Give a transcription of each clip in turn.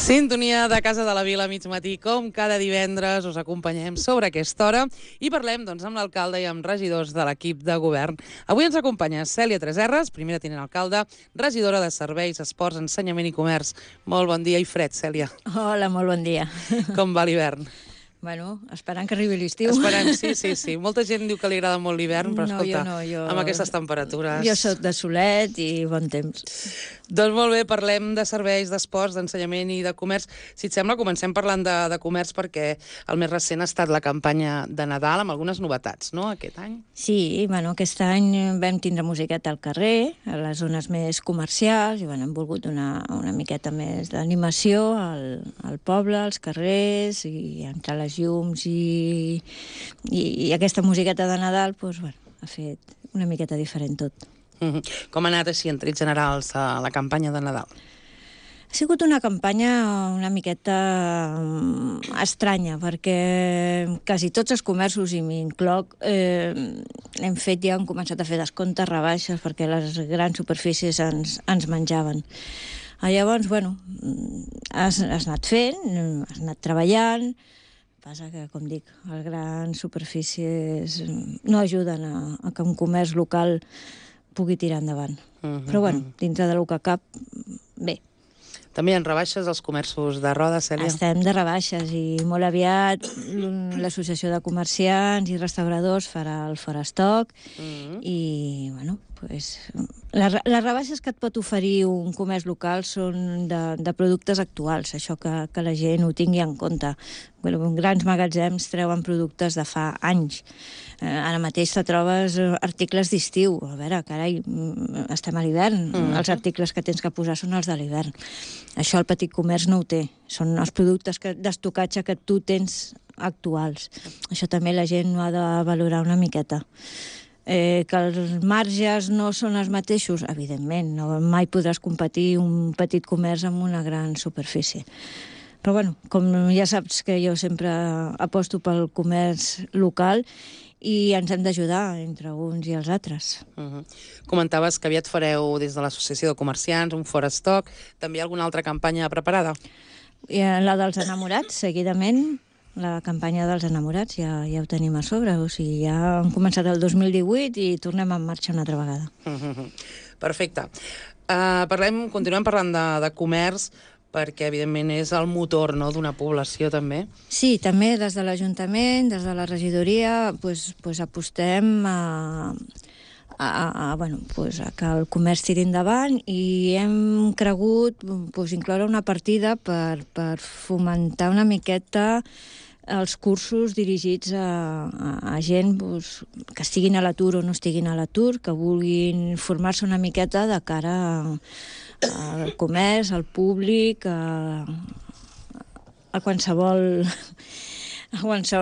Sintonia de Casa de la Vila, mig matí, com cada divendres us acompanyem sobre aquesta hora i parlem amb l'alcalde i amb regidors de l'equip de govern. Avui ens acompanya Cèlia Tresserras, primera tinent alcalde, regidora de Serveis, Esports, Ensenyament i Comerç. Molt bon dia i fred, Cèlia. Hola, molt bon dia. Com va l'hivern? Bueno, esperant que arribi l'estiu. Esperant, sí. Molta gent diu que li agrada molt l'hivern, però escolta, amb aquestes temperatures... Jo soc de solet i bon temps. Doncs molt bé, parlem de serveis, d'esports, d'ensenyament i de comerç. Si et sembla, comencem parlant de comerç perquè el més recent ha estat la campanya de Nadal amb algunes novetats, no?, aquest any. Sí, bueno, aquest any vam tindre musiqueta al carrer, a les zones més comercials, i bueno, hem volgut donar una miqueta més d'animació al poble, als carrers, i entre les llums i aquesta musiqueta de Nadal, doncs, bueno, ha fet una miqueta diferent tot. Com ha anat així, en trets generals, la campanya de Nadal? Ha sigut una campanya una miqueta estranya, perquè quasi tots els comerços, i m'incloc, hem començat a fer descomptes, rebaixes, perquè les grans superfícies ens menjaven. Llavors, bueno, has anat fent, has anat treballant. Passa que, com dic, les grans superfícies no ajuden a que un comerç local pugui tirar endavant. Però, bueno, dintre del que cap, bé. També hi ha rebaixes als comerços de Roda, Cèlia? Estem de rebaixes i molt aviat l'Associació de Comerciants i Restauradors farà el Fora Stock i, bueno, pues, les rebaixes que et pot oferir un comerç local són de productes actuals, això que la gent ho tingui en compte. Grans magatzems treuen productes de fa anys. Ara mateix te trobes articles d'estiu. A veure, carai, estem a l'hivern. Els articles que tens que posar són els de l'hivern. Això el petit comerç no ho té. Són els productes d'estocatge que tu tens actuals. Això també la gent ho ha de valorar una miqueta. Que els marges no són els mateixos, evidentment, mai podràs competir un petit comerç amb una gran superfície. Però, bueno, com ja saps que jo sempre aposto pel comerç local i ens hem d'ajudar entre uns i els altres. Comentaves que aviat fareu des de l'Associació de Comerciants un Fora Stock. També hi ha alguna altra campanya preparada? La dels enamorats, seguidament. La campanya dels enamorats ja ho tenim a sobre, o sigui, ja hem començat el 2018 i tornem en marxa una altra vegada. Perfecte. Continuem parlant de comerç, perquè, evidentment, és el motor d'una població, també. Sí, també des de l'Ajuntament, des de la regidoria, apostem a que el comerç tiri endavant i hem cregut incloure una partida per fomentar una miqueta els cursos dirigits a gent que estiguin a l'atur o no estiguin a l'atur, que vulguin formar-se una miqueta de cara al comerç, al públic, a qualsevol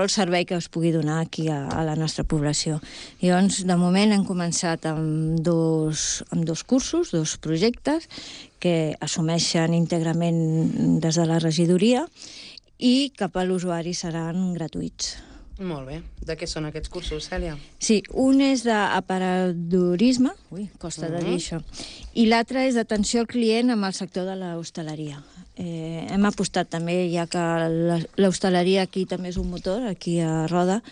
servei que es pugui donar aquí a la nostra població. Llavors, de moment hem començat amb dos cursos, dos projectes, que assumeixen íntegrament des de la regidoria i cap a l'usuari seran gratuïts. Molt bé. De què són aquests cursos, Cèlia? Sí, un és d'aparadorisme, costa de dir això, i l'altre és d'atenció al client amb el sector de l'hostaleria. Hem apostat també, ja que l'hostaleria aquí també és un motor, aquí a Roda,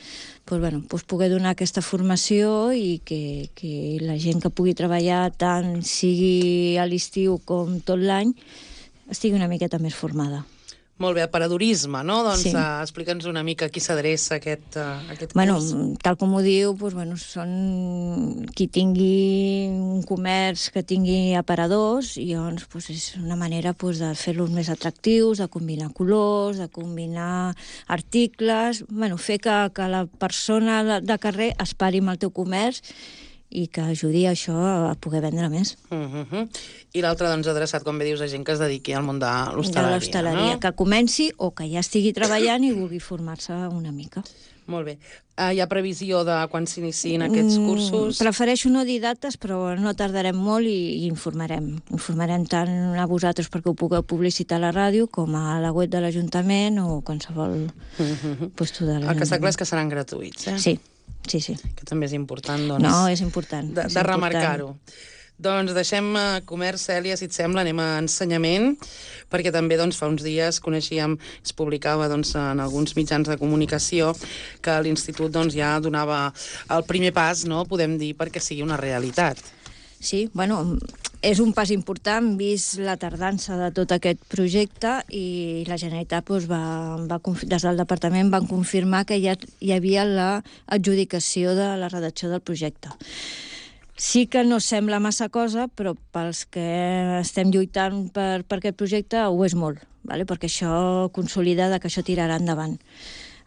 poder donar aquesta formació i que la gent que pugui treballar tant sigui a l'estiu com tot l'any estigui una miqueta més formada. Molt bé, aparadorisme, no? Doncs sí. Explica'ns una mica a qui s'adreça aquest curs. Tal com ho diu, són qui tingui un comerç que tingui aparadors i llavors és una manera de fer-los més atractius, de combinar colors, de combinar articles, fer que la persona de carrer es pari amb el teu comerç i que ajudi això a poder vendre més. I l'altre, adreçat, com bé dius, a gent que es dediqui al món de l'hostaleria, no? Que comenci o que ja estigui treballant i vulgui formar-se una mica. Molt bé. Hi ha previsió de quan s'iniciïn aquests cursos? Prefereixo no dir dates, però no tardarem molt i informarem. Informarem tant a vosaltres perquè ho pugueu publicitar a la ràdio com a la web de l'Ajuntament o qualsevol puesto de l'Ajuntament. El que està clar és que seran gratuïts, eh? Sí. Que també és important, No, és important. De remarcar-ho. Doncs deixem comerç, Cèlia, si et sembla, anem a ensenyament, perquè també fa uns dies coneixíem, es publicava en alguns mitjans de comunicació que l'Institut ja donava el primer pas, no?, podem dir, perquè sigui una realitat. Sí, bueno, és un pas important, vist la tardança de tot aquest projecte, i la Generalitat des del departament van confirmar que ja hi havia l'adjudicació de la redacció del projecte. Sí que no sembla massa cosa, però pels que estem lluitant per aquest projecte ho és molt, perquè això consolida que això tirarà endavant.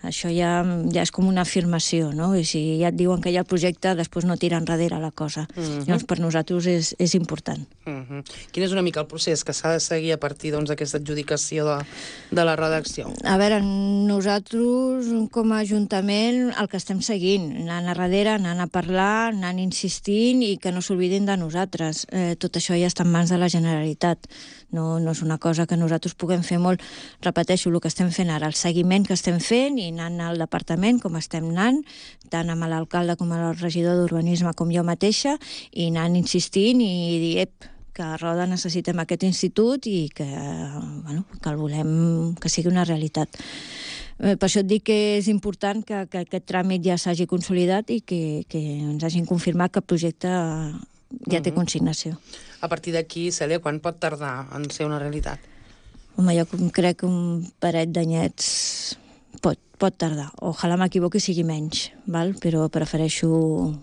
Això ja és com una afirmació, no? I si ja et diuen que hi ha el projecte, després no tira enrere la cosa. Llavors, per nosaltres és important. Quin és una mica el procés que s'ha de seguir a partir d'aquesta adjudicació de la redacció? A veure, nosaltres, com a Ajuntament, el que estem seguint, anant a darrere, anant a parlar, anant insistint i que no s'oblidin de nosaltres. Tot això ja està en mans de la Generalitat. No és una cosa que nosaltres puguem fer molt. Repeteixo, el que estem fent ara, el seguiment que estem fent i anant al departament, com estem anant, tant amb l'alcalde com amb el regidor d'Urbanisme com jo mateixa, i anant insistint i dir, que a Roda necessitem aquest institut i que el volem que sigui una realitat. Per això et dic que és important que aquest tràmit ja s'hagi consolidat i que ens hagin confirmat que el projecte ja té consignació. A partir d'aquí, Cèlia, quan pot tardar en ser una realitat? Home, jo crec que un parell d'anyets pot tardar. Ojalà m'equivoqui sigui menys, però prefereixo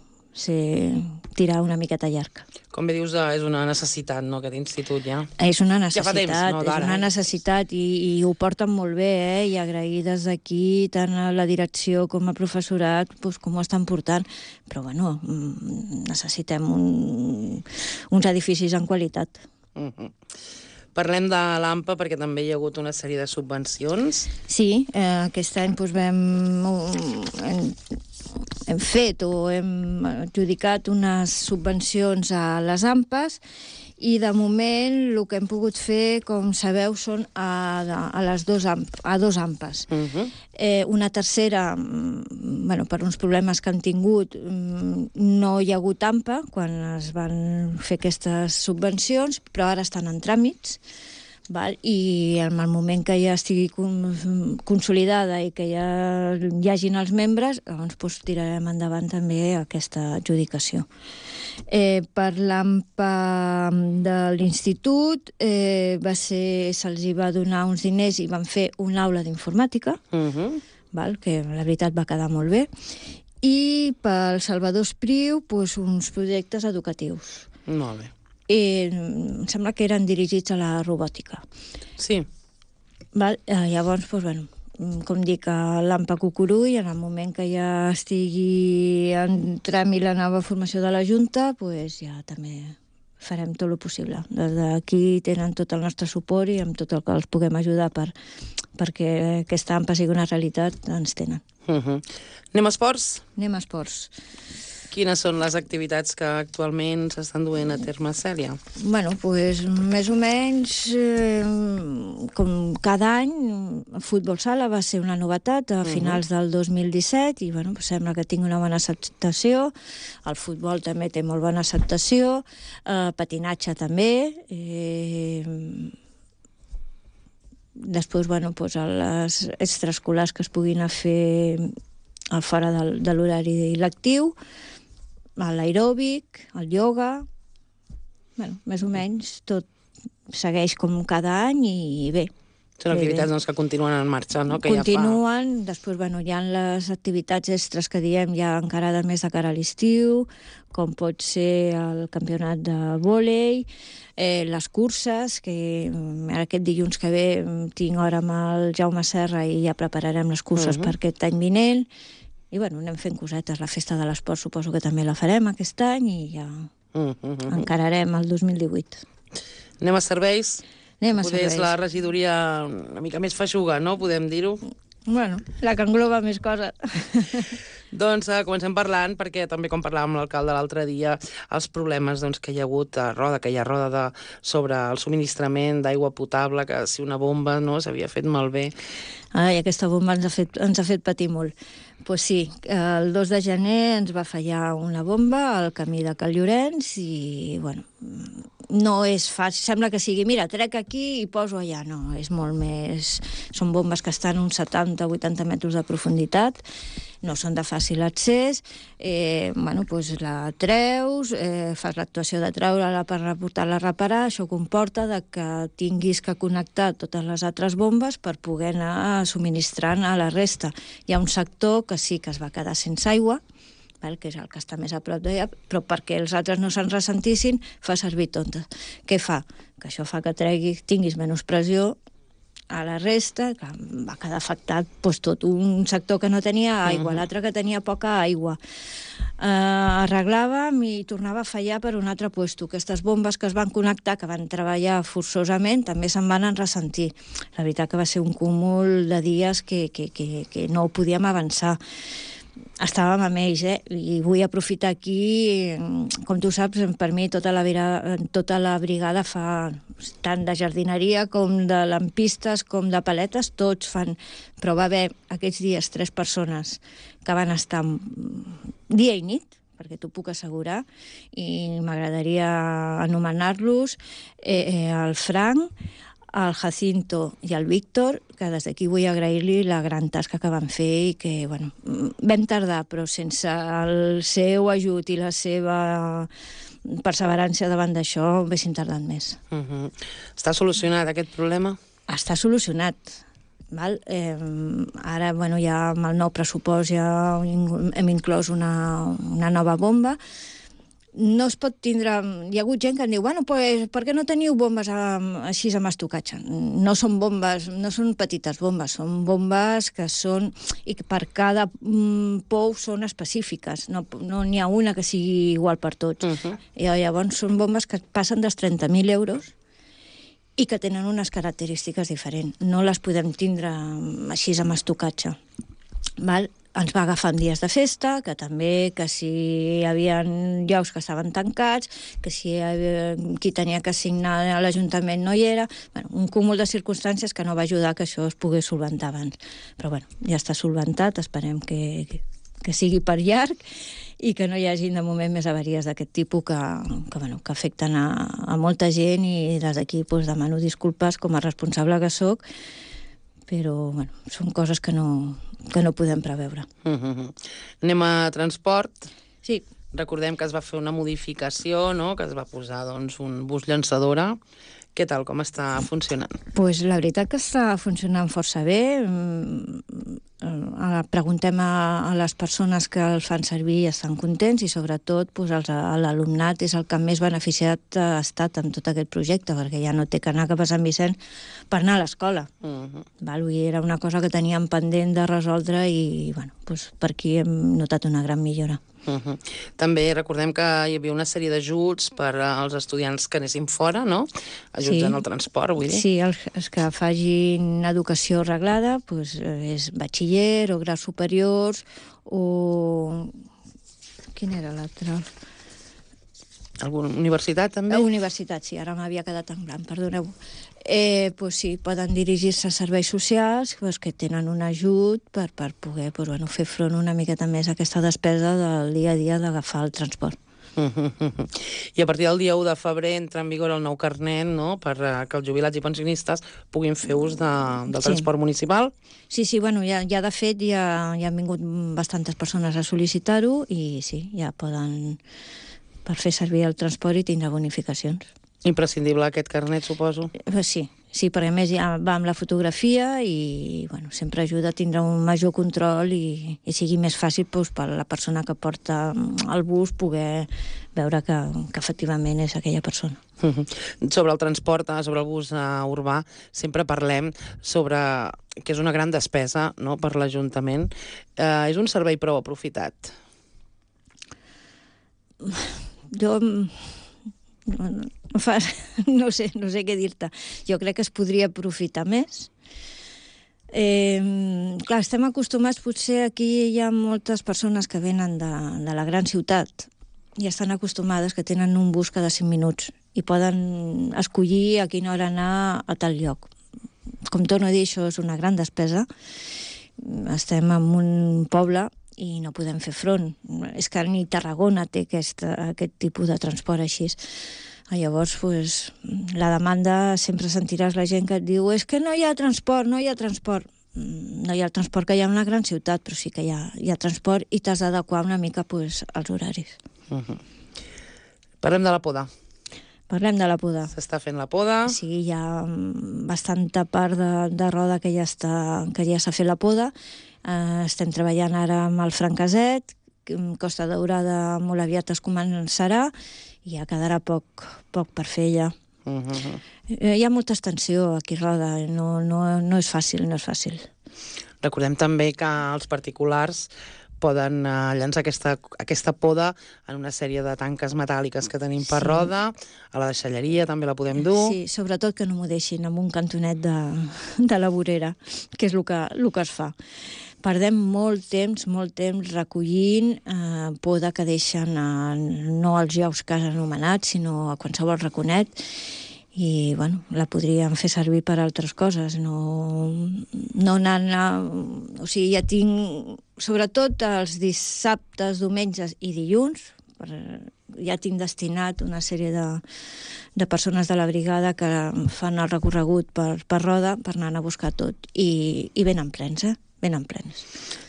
tirar una miqueta llarg. Com bé dius, és una necessitat, no?, aquest institut ja. És una necessitat, ja fa temps, no, és una necessitat i ho porten molt bé, i agrair des d'aquí tant a la direcció com al professorat com ho estan portant, però necessitem uns edificis en qualitat. Parlem de l'AMPA perquè també hi ha hagut una sèrie de subvencions. Sí, aquest any hem fet o hem adjudicat unes subvencions a les AMPAs, i de moment el que hem pogut fer, com sabeu, són a dos AMPAs. Una tercera, per uns problemes que han tingut, no hi ha hagut AMPA quan es van fer aquestes subvencions, però ara estan en tràmits, i en el moment que ja estigui consolidada i que ja hi hagin els membres, llavors tirarem endavant també aquesta adjudicació. Per l'AMPA de l'Institut se'ls va donar uns diners i van fer una aula d'informàtica, que la veritat va quedar molt bé, i pel Salvador Espriu uns projectes educatius. Molt bé. Em sembla que eren dirigits a la robòtica. Sí. Llavors, com dic, a l'AMPA Cucurull, en el moment que ja estigui en tràmit la nova formació de la Junta, ja també farem tot el possible. Des d'aquí tenen tot el nostre suport i amb tot el que els puguem ajudar perquè aquesta AMPA sigui una realitat, ens tenen. Anem a esports? Anem a esports. Quines són les activitats que actualment s'estan duent a terme, Cèlia? Més o menys, com cada any, el futbol sala va ser una novetat a finals del 2017 i sembla que tingui una bona acceptació. El futbol també té molt bona acceptació, patinatge també. Després, a les extraescolars que es puguin fer fora de l'horari lectiu, l'aeròbic, el ioga, més o menys tot segueix com cada any i bé. Són activitats que continuen en marxa, no? Continuen, després hi ha les activitats extres que diem ja encara més de cara a l'estiu, com pot ser el campionat de vòlei, les curses, que aquest dilluns que ve tinc hora amb el Jaume Serra i ja prepararem les curses per aquest any vinent. I anem fent cosetes. La festa de l'esport suposo que també la farem aquest any i ja encararem el 2018. Anem a serveis? Anem a serveis. serveis. La regidoria una mica més feixuga, no? Podem dir-ho? Bueno, la que engloba més coses. Doncs comencem parlant, perquè també com parlàvem amb l'alcalde l'altre dia, els problemes que hi ha hagut a Roda, que hi ha a Roda sobre el subministrament d'aigua potable, que si una bomba s'havia fet malbé. Ai, aquesta bomba ens ha fet patir molt. Pues sí, el 2 de gener ens va fallar una bomba al camí de Cal Llorenç i, bueno, no és fàcil. Sembla que sigui, mira, trec aquí i poso allà. No, és molt més... Són bombes que estan uns 70-80 metres de profunditat, no són de fàcil accés, bueno, doncs la treus, fas l'actuació de treure-la per portar-la a reparar, això comporta que tinguis que connectar totes les altres bombes per poder anar subministrant a la resta. Hi ha un sector que sí que es va quedar sense aigua, que és el que està més a prop d'allà, però perquè els altres no se'n ressentissin, fa servir tontes. Què fa? Que això fa que tinguis menys pressió a la resta, que va quedar afectat tot un sector que no tenia aigua, l'altre que tenia poca aigua. Arreglàvem i tornava a fallar per un altre puesto. Aquestes bombes que es van connectar, que van treballar forçosament, també se'n van ressentir. La veritat que va ser un cúmul de dies que no ho podíem avançar. Estàvem amb ells, i vull aprofitar aquí, com tu saps, per mi tota la brigada fa tant de jardineria com de lampistes com de paletes, tots fan, però va haver aquests dies 3 persones que van estar dia i nit, perquè t'ho puc assegurar, i m'agradaria anomenar-los el Frank, el Jacinto i el Víctor, que des d'aquí vull agrair-li la gran tasca que van fer i que, bueno, vam tardar, però sense el seu ajut i la seva perseverància davant d'això, haguéssim tardat més. Està solucionat aquest problema? Està solucionat. Val? Ara, bueno, ja amb el nou pressupost ja hem inclòs una nova bomba. No es pot tindre... Hi ha hagut gent que em diu, bueno, pues, per què no teniu bombes així amb estocatge? No són bombes, no són petites bombes, són bombes que són... i que per cada pou són específiques, no n'hi ha una que sigui igual per tots. I llavors són bombes que passen dels 30.000 euros i que tenen unes característiques diferents. No les podem tindre així amb estocatge. Val? Ens va agafar en dies de festa, que també, que si hi havia llocs que estaven tancats, que si qui tenia que signar a l'Ajuntament no hi era... Bueno, un cúmul de circumstàncies que no va ajudar que això es pogués solventar abans. Però bueno, ja està solventat, esperem que sigui per llarg i que no hi hagi de moment més avaries d'aquest tipus que afecten a molta gent, i des d'aquí demano disculpes com a responsable que sóc, però bueno, són coses que no podem preveure. Anem a transport. Sí. Recordem que es va fer una modificació, no?, que es va posar un bus llançadora. Què tal, com està funcionant? Pues la veritat que està funcionant força bé. Preguntem a les persones que el fan servir i estan contents, i sobretot l'alumnat és el que més beneficiat ha estat amb tot aquest projecte, perquè ja no té que anar cap a Sant Vicent per anar a l'escola. Era una cosa que teníem pendent de resoldre i per aquí hem notat una gran millora. També recordem que hi havia una sèrie d'ajuts per als estudiants que anessin fora, no? Ajuts en el transport, vull dir. Sí, els que facin educació reglada, és batxiller o graus superiors o... Quin era l'altre? Alguna universitat, també? Universitat, sí, ara m'havia quedat en blanc, perdoneu. Sí, poden dirigir-se a serveis socials que tenen un ajut per poder fer front una miqueta més a aquesta despesa del dia a dia d'agafar el transport. I a partir del dia 1 de febrer entra en vigor el nou carnet, no?, per que els jubilats i pensionistes puguin fer ús del transport municipal. Sí, ja de fet ja han vingut bastantes persones a sol·licitar-ho i sí, ja poden per fer servir el transport i tindre bonificacions. Imprescindible aquest carnet, suposo? Sí, perquè a més ja va amb la fotografia i sempre ajuda a tindre un major control i sigui més fàcil per la persona que porta el bus poder veure que efectivament és aquella persona. Sobre el transport, sobre el bus urbà, sempre parlem sobre que és una gran despesa, no?, per l'Ajuntament. És un servei prou aprofitat? Jo... no sé què dir-te. Jo crec que es podria aprofitar més. Clar, estem acostumats, potser aquí hi ha moltes persones que venen de la gran ciutat i estan acostumades que tenen un bus cada 5 minuts i poden escollir a quina hora anar a tal lloc. Com torno a dir, això és una gran despesa. Estem en un poble i no podem fer front. És que ni Tarragona té aquest tipus de transport així. Llavors, la demanda, sempre sentiràs la gent que et diu és que no hi ha transport, no hi ha transport. No hi ha el transport que hi ha en una gran ciutat, però sí que hi ha transport i t'has d'adequar una mica als horaris. Parlem de la poda. Parlem de la poda. S'està fent la poda. Sí, hi ha bastanta part de roda que ja s'ha fet la poda. Estem treballant ara amb el Francaset, Costa Daurada molt aviat es començarà i ja quedarà poc per fer ja. Hi ha molta extensió aquí a Roda, no és fàcil, no és fàcil. Recordem també que els particulars poden llançar aquesta poda en una sèrie de tanques metàl·liques que tenim per Roda, a la deixalleria també la podem dur. Sí, sobretot que no m'ho deixin en un cantonet de la vorera, que és el que es fa. Perdem molt temps recollint poda que deixen no als llocs que has anomenat, sinó a qualsevol raconet, i la podríem fer servir per altres coses, no anant o sigui, ja tinc, sobretot els dissabtes, diumenges i dilluns, ja tinc destinat una sèrie de persones de la brigada que fan el recorregut per Roda per anar a buscar tot, i venen plens, venen plens.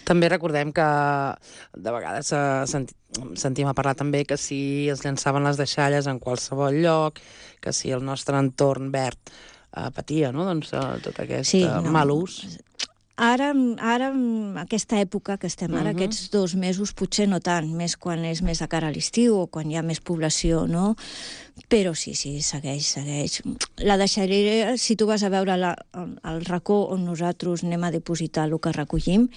També recordem que de vegades sentim a parlar també que si es llançaven les deixalles en qualsevol lloc, que si el nostre entorn verd patia, no? Doncs tot aquest mal ús. Ara, en aquesta època que estem ara, aquests 2 mesos, potser no tant, més quan és més de cara a l'estiu o quan hi ha més població, no? Però sí, segueix. La deixalleria, si tu vas a veure el racó on nosaltres anem a dipositar el que recollim,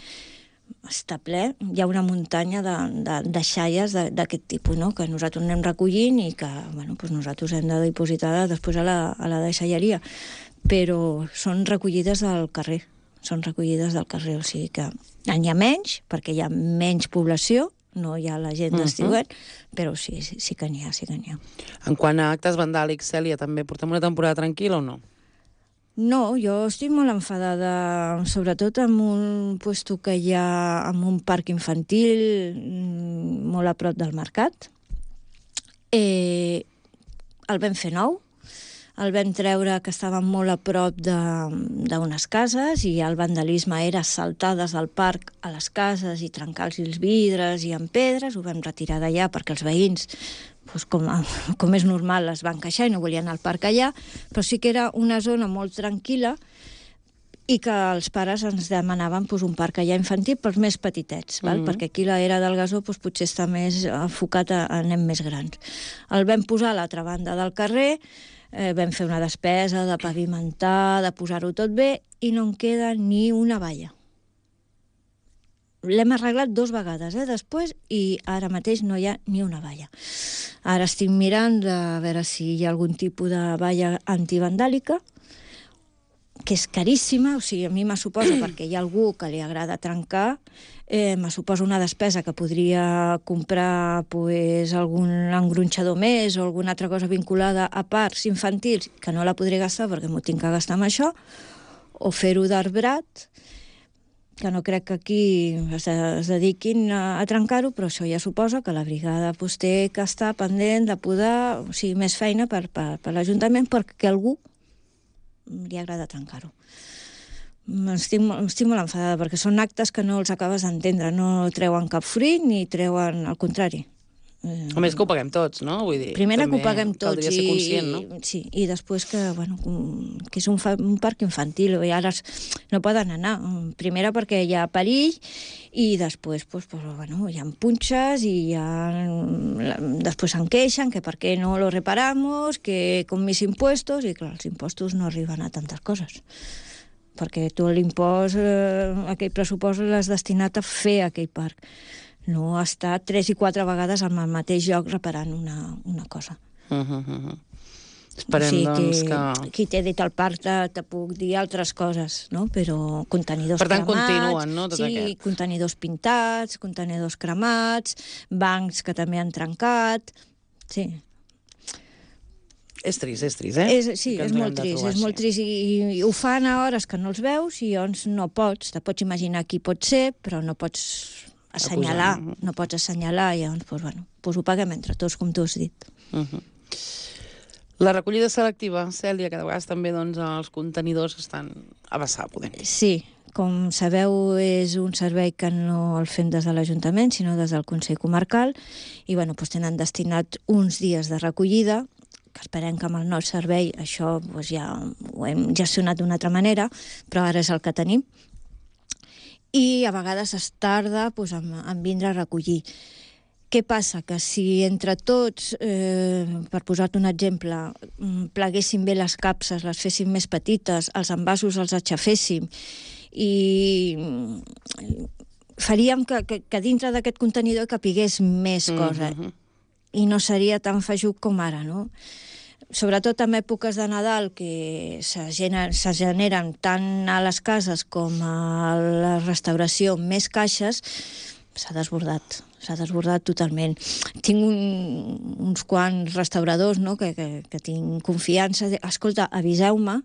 està ple, hi ha una muntanya de deixalles d'aquest tipus, no? Que nosaltres anem recollint i que nosaltres hem de dipositar després a la deixalleria, però són recollides al carrer, o sigui que n'hi ha menys, perquè hi ha menys població, no hi ha la gent d'estiuet, però sí que n'hi ha. En quant a actes vandàlics, Cèlia, també portem una temporada tranquil·la o no? No, jo estic molt enfadada, sobretot amb un puesto que hi ha amb un parc infantil molt a prop del mercat. El vam fer nou, el vam treure que estava molt a prop d'unes cases i el vandalisme era saltar des del parc a les cases i trencar-los els vidres i amb pedres. Ho vam retirar d'allà perquè els veïns, com és normal, es van queixar i no volien anar al parc allà, però sí que era una zona molt tranquil·la i que els pares ens demanaven un parc allà infantil pels més petitets, perquè aquí l'era del gasó potser està més enfocat a nens més grans. El vam posar a l'altra banda del carrer, vam fer una despesa de pavimentar, de posar-ho tot bé, i no en queda ni una valla. L'hem arreglat 2 vegades, després, i ara mateix no hi ha ni una valla. Ara estic mirant de veure si hi ha algun tipus de valla antivandàlica, que és caríssima, o sigui, a mi me suposa, perquè hi ha algú que li agrada trencar, me suposa una despesa que podria comprar algun engronxador més o alguna altra cosa vinculada a parcs infantils, que no la podré gastar perquè m'ho tinc que gastar amb això, o fer-ho d'arbrat, que no crec que aquí es dediquin a trencar-ho, però això ja suposa que la brigada té que estar pendent de podar, o sigui, més feina per l'Ajuntament perquè algú li agrada trencar-ho. Estic molt enfadada perquè són actes que no els acabes d'entendre, no treuen cap fruit ni treuen al contrari. A més que ho paguem tots, no? Vull dir, primera que ho paguem tots, caldria ser conscient, no? Sí, i després que és un parc infantil i ara no poden anar. Primera perquè hi ha perill i després hi ha punxes i després se'n queixen que per què no lo reparamos, que con mis impuestos, i clar, els impostos no arriben a tantes coses. Perquè tu l'impost, aquell pressupost l'has destinat a fer aquell parc. No estar 3 i 4 vegades al mateix lloc reparant una cosa. Esperem, doncs, que... Qui t'he dit al parc te puc dir altres coses, no? Però contenidors per tant, cremats... continuen, no, tot sí, aquest? contenidors pintats, contenidors cremats, bancs que també han trencat... Sí. És trist, eh? Sí, és molt trist, i ho fan a hores que no els veus i llavors no pots, te pots imaginar qui pot ser, però no pots assenyalar, i llavors, doncs ho paguem entre tots, com tu has dit. La recollida selectiva, Cèlia, que de vegades també els contenidors estan a vessar, podem dir. Sí, com sabeu, és un servei que no el fem des de l'Ajuntament, sinó des del Consell Comarcal, i tenen destinat uns dies de recollida, que esperem que amb el nou servei això ja ho hem gestionat d'una altra manera, però ara és el que tenim. I a vegades es tarda en vindre a recollir. Què passa? Que si entre tots, per posar-te un exemple, pleguéssim bé les capses, les féssim més petites, els envasos els aixaféssim i faríem que dintre d'aquest contenidor capigués més cosa i no seria tan feixuc com ara, no? Sobretot en èpoques de Nadal, que se generen tant a les cases com a la restauració més caixes, s'ha desbordat totalment. Tinc uns quants restauradors, no?, que tinc confiança. Escolta, aviseu-me,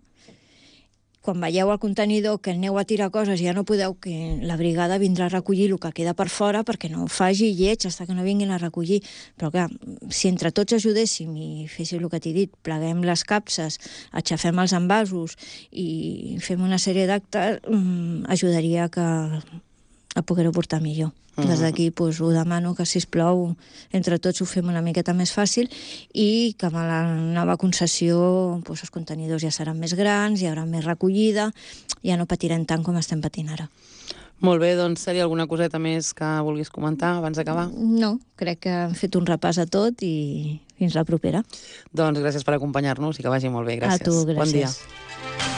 quan veieu el contenidor que aneu a tirar coses i ja no podeu, que la brigada vindrà a recollir el que queda per fora perquè no faci lleig fins que no vinguin a recollir. Però clar, si entre tots ajudéssim i féssim el que t'he dit, pleguem les capses, aixafem els envasos i fem una sèrie d'actes, ajudaria a poder-ho portar millor. Des d'aquí ho demano que, sisplau, entre tots ho fem una miqueta més fàcil i que amb la nova concessió els contenidors ja seran més grans, hi haurà més recollida, ja no patirem tant com estem patint ara. Molt bé, doncs, Cèlia, alguna coseta més que vulguis comentar abans d'acabar? No, crec que hem fet un repàs a tot i fins la propera. Doncs gràcies per acompanyar-nos i que vagi molt bé. Gràcies. A tu, gràcies. Bon dia.